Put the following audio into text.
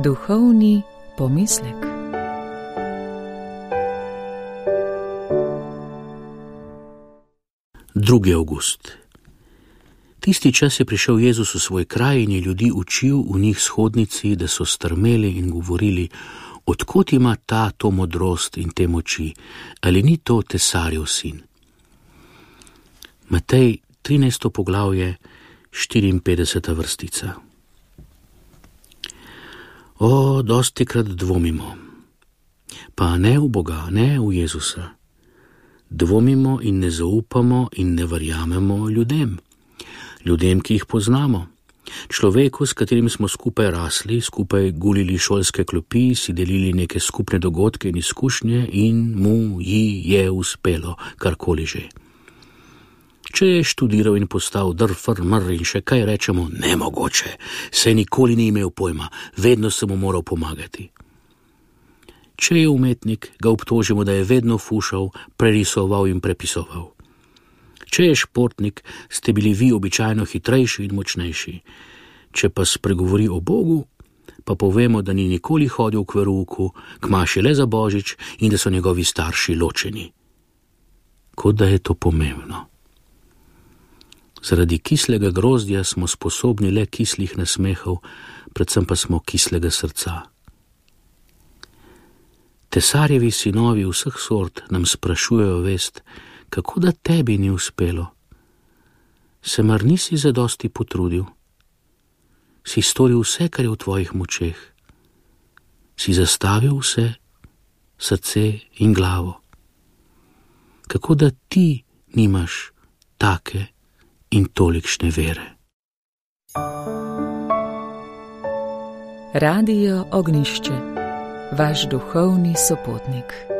Duhovni pomislek. Drugi avgust. Tisti čas je prišel Jezus v svoj kraj in je ljudi učil v njih shodnici, da so strmeli in govorili: odkot ima ta to modrost in te moči, ali ni to tesarjev sin? Matej 13. poglavje, 54. vrstica. Dostikrat dvomimo, pa ne v Boga, ne v Jezusa. Dvomimo in ne zaupamo in ne verjamemo ljudem, ki jih poznamo. Človeku, s katerim smo skupaj rasli, skupaj gulili šolske klopi, si delili neke skupne dogodke in izkušnje in ji je uspelo, karkoli že. Če je študiral in postal drfr in še kaj, rečemo: nemogoče, saj nikoli ni imel pojma, vedno se mu moral pomagati. Če je umetnik, ga obtožimo, da je vedno fušal, prerisoval in prepisoval. Če je športnik, ste bili vi običajno hitrejši in močnejši. Če pa spregovori o Bogu, pa povemo, da ni nikoli hodil k verouku, k maši le za Božič in da so njegovi starši ločeni. Kot da je to pomembno. Zaradi kislega grozdja smo sposobni le kislih nasmehov, predvsem pa smo kislega srca. Tesarjevi sinovi vseh sort nam sprašujejo vest, kako da tebi ni uspelo. Se mar nisi zadosti potrudil? Si storil vse, kar je v tvojih močeh? Si zastavil vse, srce in glavo? Kako da ti nimaš take in tolikšne vere? Radio Ognjišče, vaš duhovni sopotnik.